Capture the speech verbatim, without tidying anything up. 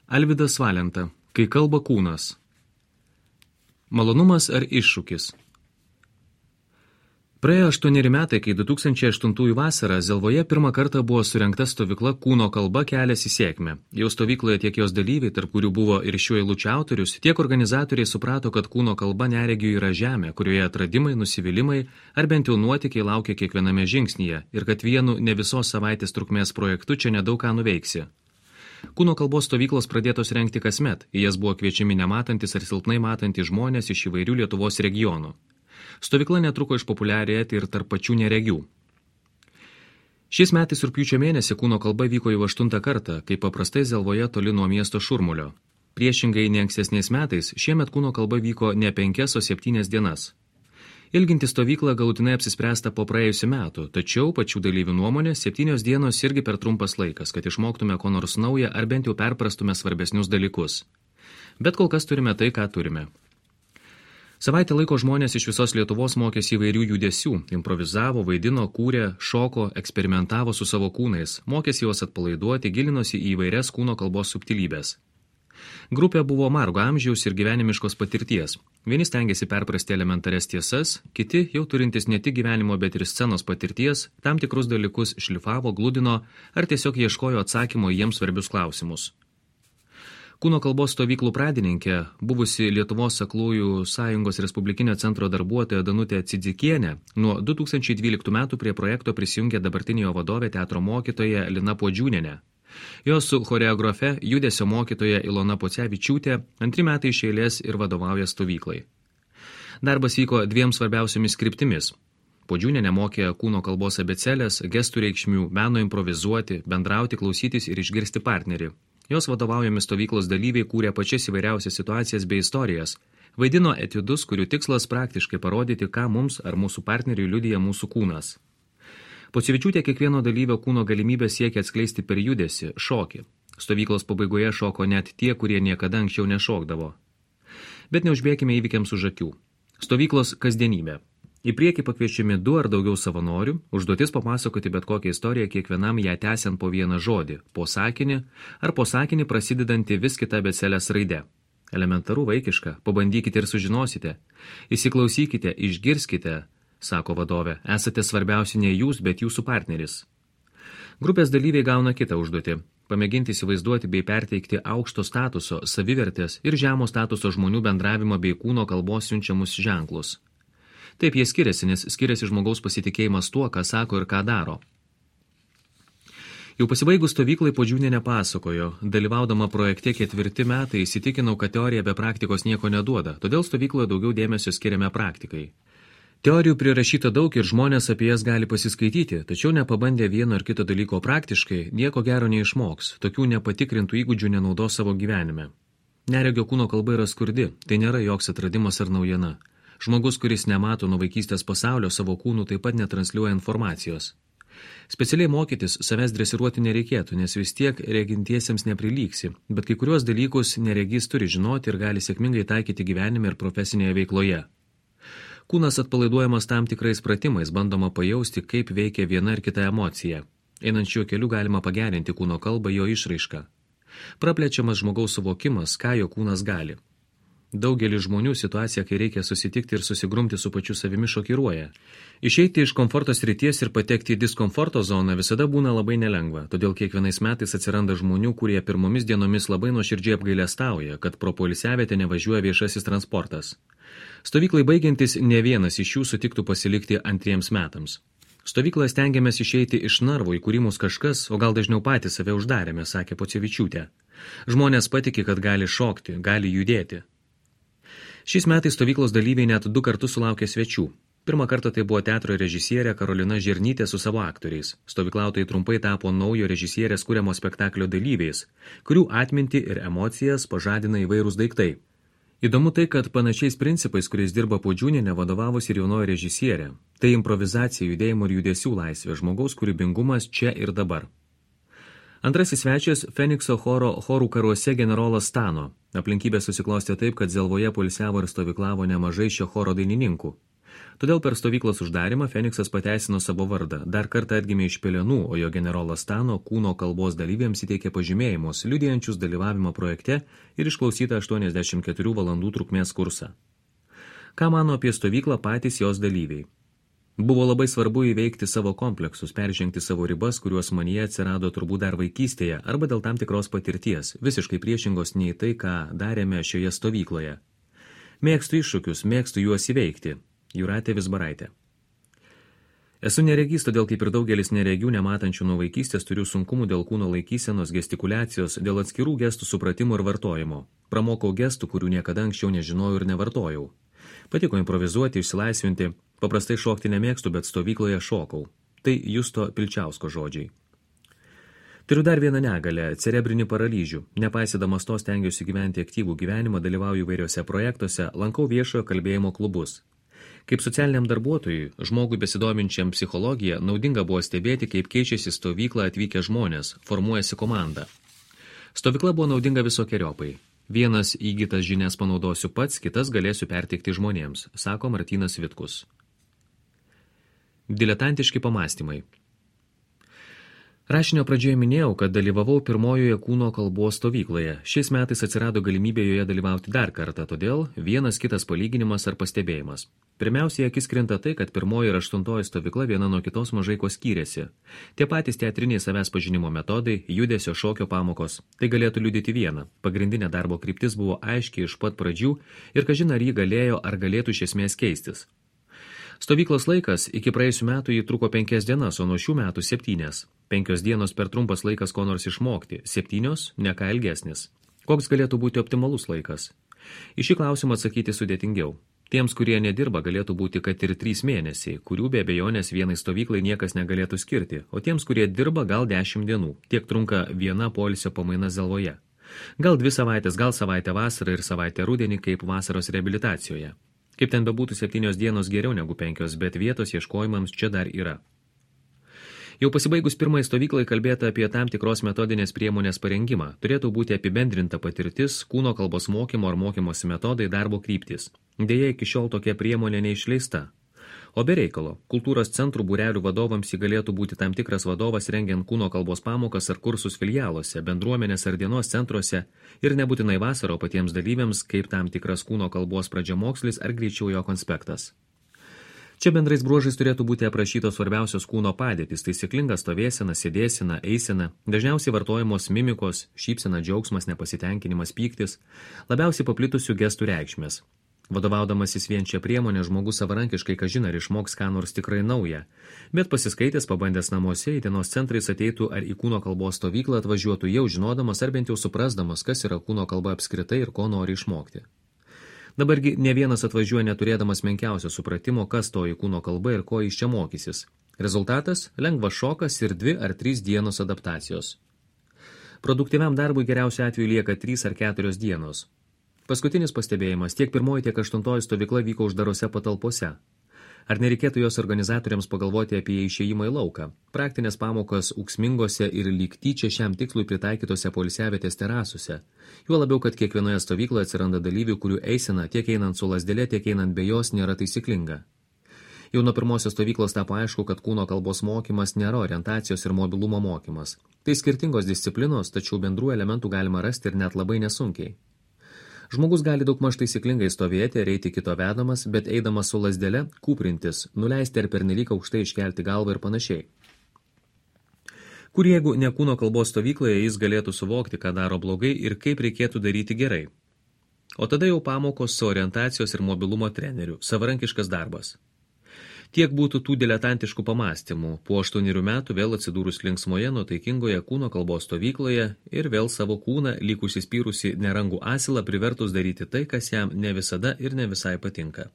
Alvydas Valenta. Kai kalba kūnas. Malonumas ar iššūkis? Praėjo aštuoneri metai, kai du tūkstančiai aštuntųjų vasarą Zelvoje pirmą kartą buvo surengta stovykla Kūno kalba kelias į sėkmę. Jau stovykloje tiek jos dalyviai, tarp kurių buvo ir šiuo eilučių autorius, tiek organizatoriai suprato, kad kūno kalba neregių yra žemė, kurioje atradimai, nusivylimai ar bent jau nuotykiai laukia kiekviename žingsnyje ir kad vienu ne visos savaitės trukmės projektu čia nedaug ką nuveiksi. Kūno kalbos stovyklos pradėtos rengti kasmet, į jas buvo kviečiami nematantis ar silpnai matantys žmonės iš įvairių Lietuvos regionų. Stovykla netruko išpopuliarėti ir tarp pačių neregių. Šiais metais rugpjūčio mėnesį Kūno kalba vyko jau aštuntą kartą, kaip paprastai Zelvoje toli nuo miesto šurmulio. Priešingai nei ankstesniais metais, šiemet Kūno kalba vyko ne penkias, o septynias dienas. Ilginti stovyklą galutinai apsispręsta po praėjusių metų, tačiau pačių dalyvių nuomonė septynios dienos irgi per trumpas laikas, kad išmoktume ko nors naują ar bent jau perprastume svarbesnius dalykus. Bet kol kas turime tai, ką turime. Savaitę laiko žmonės iš visos Lietuvos mokėsi įvairių judesių, improvizavo, vaidino, kūrė, šoko, eksperimentavo su savo kūnais, mokėsi juos atpalaiduoti, gilinosi į įvairias kūno kalbos subtilybės. Grupė buvo margo amžiaus ir gyvenimiškos patirties. Vieni stengiasi perprasti elementarias tiesas, kiti, jau turintis ne tik gyvenimo, bet ir scenos patirties, tam tikrus dalykus šlifavo, gludino ar tiesiog ieškojo atsakymo į jiems svarbius klausimus. Kūno kalbos stovyklų pradininkė, buvusi Lietuvos aklųjų sąjungos Respublikinio centro darbuotoja Danutė Cidzikienė, nuo du tūkstančiai dvyliktų metų prie projekto prisijungė dabartinė jo vadovė teatro mokytoja Lina Puodžiūnienė. Jos su choreografe, judesio mokytoja Ilona Pocevičiūtė antri metai iš eilės ir vadovauja stovyklai. Darbas vyko dviem svarbiausiomis kryptimis. Puodžiūnienė mokė kūno kalbos abėcėlės, gestų reikšmių, meno improvizuoti, bendrauti, klausytis ir išgirsti partnerį. Jos vadovaujami stovyklos dalyviai kūrė pačias įvairiausias situacijas bei istorijas, vaidino etiudus, kurių tikslas praktiškai parodyti, ką mums ar mūsų partneriui liudija mūsų kūnas. Pocevičiūtė kiekvieno dalyvio kūno galimybę siekia atskleisti per judesį, šokį. Stovyklos pabaigoje šoko net tie, kurie niekada anksčiau nešokdavo. Bet neužbėkime įvykiams už akių. Stovyklos kasdienybė. Į priekį pakviečiami du ar daugiau savanorių, užduotis papasakoti bet kokią istoriją kiekvienam ją tęsiant po vieną žodį, po sakinį ar po sakinį prasidedantį vis kitą abėcėlės raidę. Elementaru vaikiška, pabandykite ir sužinosite. Įsiklausykite, išgirskite, sako vadovė, esate svarbiausi ne jūs, bet jūsų partneris. Grupės dalyviai gauna kitą užduotį – pamėginti įsivaizduoti bei perteikti aukšto statuso, savivertės ir žemo statuso žmonių bendravimą bei kūno kalbos siunčiamus ženklus. Taip jie skiriasi, nes skiriasi žmogaus pasitikėjimas tuo, ką sako ir ką daro. Jau pasibaigus stovyklai Puodžiūnienė pasakojo, dalyvaudama projekte ketvirti metai įsitikinau, kad teorija be praktikos nieko neduoda, todėl stovykloje daugiau dėmesio skiriame praktikai. Teorijų prirašyta daug ir žmonės apie jas gali pasiskaityti, tačiau nepabandę vieno ar kito dalyko praktiškai, nieko gero neišmoks, tokių nepatikrintų įgūdžių nenaudos savo gyvenime. Neregio kūno kalba yra skurdi, tai nėra joks atradimas ar naujiena. Žmogus, kuris nemato nuo vaikystės pasaulio, savo kūnų taip pat netransliuoja informacijos. Specialiai mokytis savęs dresiruoti nereikėtų, nes vis tiek regintiesiems neprilyksi, bet kai kuriuos dalykus neregys turi žinoti ir gali sėkmingai taikyti gyvenime ir profesinėje veikloje. Kūnas atpalaiduojamas tam tikrais pratimais, bandoma pajausti, kaip veikia viena ar kita emocija. Einant šiuo keliu galima pagerinti kūno kalbą, jo išraišką. Praplečiamas žmogaus suvokimas, ką jo kūnas gali. Daugelį žmonių situacija, kai reikia susitikti ir susigrumti su pačiu savimi, šokiruoja. Išeiti iš komforto srities ir patekti į diskomforto zoną visada būna labai nelengva, todėl kiekvienais metais atsiranda žmonių, kurie pirmomis dienomis labai nuoširdžiai apgailestauja, kad pro poilsiavietę nevažiuoja viešasis transportas. Stovyklai baigiantis, ne vienas iš jų sutiktų pasilikti antriems metams. Stovykloje stengiamės išeiti iš narvo, į kurį mus kažkas, o gal dažniau patys save uždarėme, sakė Pocevičiūtė. Žmonės patiki, kad gali šokti, gali judėti. Šiais metais stovyklos dalyviai net du kartus sulaukė svečių. Pirmą kartą tai buvo teatro režisierė Karolina Žirnytė su savo aktoriais. Stovyklautojai trumpai tapo naujo režisierės kuriamo spektaklio dalyviais, kurių atmintį ir emocijas pažadina įvairūs daiktai. Įdomu tai, kad panašiais principais, kuriais dirba Puodžiūnienė, vadovavosi ir jaunoji režisierė. Tai improvizacija, judėjimo ir judesių laisvė, žmogaus kūrybingumas čia ir dabar. Antrasis svečias – Fenikso choro chorų karuose generolas Stano. Aplinkybės susiklostė taip, kad Zelvoje poilsiavo ir stovyklavo nemažai šio choro dainininkų. Todėl per stovyklos uždarimą Feniksas pateisino savo vardą, dar kartą atgimė iš pelenų, o jo generolas Tano kūno kalbos dalyviams įteikė pažymėjimus, liudijančius dalyvavimą projekte ir išklausytą aštuoniasdešimt keturių valandų trukmės kursą. Ką mano apie stovyklą patys jos dalyviai? Buvo labai svarbu įveikti savo kompleksus, peržengti savo ribas, kuriuos manyje atsirado turbūt dar vaikystėje arba dėl tam tikros patirties, visiškai priešingos nei tai, ką darėme šioje stovykloje. Mėgstu iššūkius, mėgstu juos įveikti. Jūratė Vizbaraitė. Esu neregys, todėl kaip ir daugelis neregių nematančių nuo vaikystės turiu sunkumų dėl kūno laikysenos, gestikuliacijos, dėl atskirų gestų supratimo ir vartojimo. Pramokau gestų, kurių niekada anksčiau nežinojau ir nevartojau. Patiko improvizuoti, išsilaisvinti, paprastai šokti nemėgstu, bet stovykloje šokau. Tai Justo Pilčiausko žodžiai. Turiu dar vieną negalę – cerebrinį paralyžių. Nepaisydamas to stengiuosi gyventi aktyvų gyvenimą, dalyvauju įvairiuose projektuose, lankau viešojo kalbėjimo klubus. Kaip socialiniam darbuotojui, žmogui besidominčiam psichologiją, naudinga buvo stebėti, kaip keičiasi stovyklą atvykę žmonės, formuojasi komanda. Stovykla buvo naudinga visokiojopai. Vienas įgytas žinias panaudosiu pats, kitas galėsiu perteikti žmonėms, sako Martynas Vitkus. Diletantiški pamąstymai. Rašinio pradžioje minėjau, kad dalyvavau pirmojoje kūno kalbos stovykloje. Šiais metais atsirado galimybė joje dalyvauti dar kartą, todėl vienas kitas palyginimas ar pastebėjimas. Pirmiausiai akis krenta tai, kad pirmoji ir aštuntoji stovykla viena nuo kitos mažai kuo skyrėsi. Tie patys teatriniai savęs pažinimo metodai, judesio šokio pamokos. Tai galėtų liudyti vieną. Pagrindinė darbo kryptis buvo aiškiai iš pat pradžių ir kažin ar jį galėjo ar galėtų iš esmės keistis. Stovyklos laikas iki praėjusių metų jį truko penkias dienas, o nuo šių metų septynias. Penkios dienos per trumpas laikas ko nors išmokti, septynios ne ką ilgesnis. Koks galėtų būti optimalus laikas? Į šį klausimą atsakyti sudėtingiau. Tiems, kurie nedirba, galėtų būti, kad ir trys mėnesiai, kurių be abejonės vienai stovyklai niekas negalėtų skirti, o tiems, kurie dirba, gal dešimt dienų. Tiek trunka viena poilsio pamaina Zelvoje. Gal dvi savaitės, gal savaitę vasarą ir savaitę rudenį kaip vasaros reabilitacijoje. Kaip ten bebūtų, septynios dienos geriau negu penkios, bet vietos ieškojimams čia dar yra. Jau pasibaigus pirmai stovyklai kalbėta apie tam tikros metodinės priemonės parengimą. Turėtų būti apibendrinta patirtis, kūno kalbos mokymo ar mokymosi metodai, darbo kryptis. Deja, iki šiol tokia priemonė neišleista. O be reikalo, kultūros centrų būrelių vadovams įgalėtų būti tam tikras vadovas rengiant kūno kalbos pamokas ar kursus filialuose, bendruomenės ar dienos centruose ir nebūtinai vasaro patiems dalyviams kaip tam tikras kūno kalbos pradžiamokslis ar greičiau jo konspektas. Čia bendrais bruožais turėtų būti aprašytos svarbiausios kūno padėtys, taisyklinga stovėsena, sėdėsena, eisena, dažniausiai vartojamos mimikos, šypsena, džiaugsmas, nepasitenkinimas, pyktis, labiausiai paplitusių gestų reikšmės. Vadovaudamasis vien čia priemonė, žmogus savarankiškai kažin ar išmoks ką nors tikrai naują, bet pasiskaitęs, pabandęs namuose, į dienos centrais ateitų ar į kūno kalbos stovyklą atvažiuotų jau žinodamas ar bent jau suprasdamas, kas yra kūno kalba apskritai ir ko nori išmokti. Dabargi ne vienas atvažiuoja neturėdamas menkiausio supratimo, kas toji kūno kalba ir ko jis čia mokysis. Rezultatas – lengvas šokas ir dvi ar trys dienos adaptacijos. Produktyviam darbui geriausiu atveju lieka trys ar keturios dienos. Paskutinis pastebėjimas, tiek pirmoji, tiek aštuntoji stovykla vyko uždarose patalpose. Ar nereikėtų jos organizatoriams pagalvoti apie išėjimą į lauką? Praktinės pamokas ūksmingose ir lyg tyčia šiam tikslui pritaikytose poilsiavietės terasuose. Juo labiau, kad kiekvienoje stovykloje atsiranda dalyvių, kurių eisena tiek einant su lazdele, tiek einant be jos nėra taisyklinga. Jau nuo pirmosios stovyklos tapo aišku, kad kūno kalbos mokymas nėra orientacijos ir mobilumo mokymas. Tai skirtingos disciplinos, tačiau bendrų elementų galima rasti ir net labai nesunkiai. Žmogus gali daugmaž taisyklingai stovėti ar eiti kito vedamas, bet eidamas su lazdele, kūprintis, nuleisti ar pernelyg aukštai iškelti galvą ir panašiai. Kur jeigu ne kūno kalbos stovykloje jis galėtų suvokti, ką daro blogai ir kaip reikėtų daryti gerai. O tada jau pamokos su orientacijos ir mobilumo treneriu, savarankiškas darbas. Tiek būtų tų diletantiškų pamąstymų, po aštuonerių metų vėl atsidūrus linksmoje, nuotaikingoje kūno kalbos stovykloje ir vėl savo kūną, lyg užsispyrusi nerangų asilą, privertus daryti tai, kas jam ne visada ir ne visai patinka.